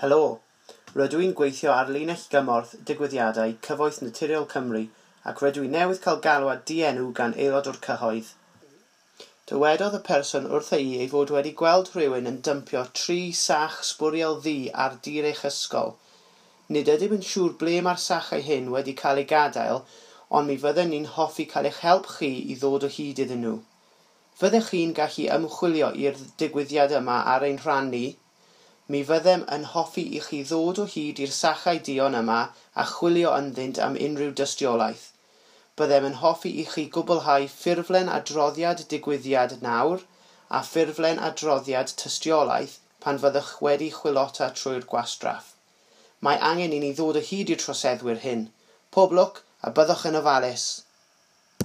Helo, rydw i'n gweithio ar linell gymorth digwyddiadau Cyfoeth Naturiol Cymru ac rydw i newydd cael galwad dienw gan aelod o'r cyhoedd. Dywedodd y person wrtha i ei fod wedi gweld rhywun yn dympio tri sach sbwriel ddu ar dir eich ysgol. Nid ydym yn siŵr ble mae'r sachau hyn wedi cael eu gadael, ond mi fydden ni'n hoffi cael eich help chi i ddod o hyd iddyn nhw. Fyddech chi'n gallu ymchwilio i'r digwyddiad yma ar ein rhan ni? Mi fyddem yn hoffi i chi ddod o hyd i'r sachau duon yma a chwilio ynddynt am unrhyw dystiolaeth. Byddem yn hoffi i chi gwblhau ffurflen adroddiad digwyddiad nawr a ffurflen adroddiad tystiolaeth pan fyddwch wedi chwilota trwy'r gwastraff. Mae angen i ni ddod o hyd i'r troseddwyr hyn. Pob lwc a byddwch yn ofalus!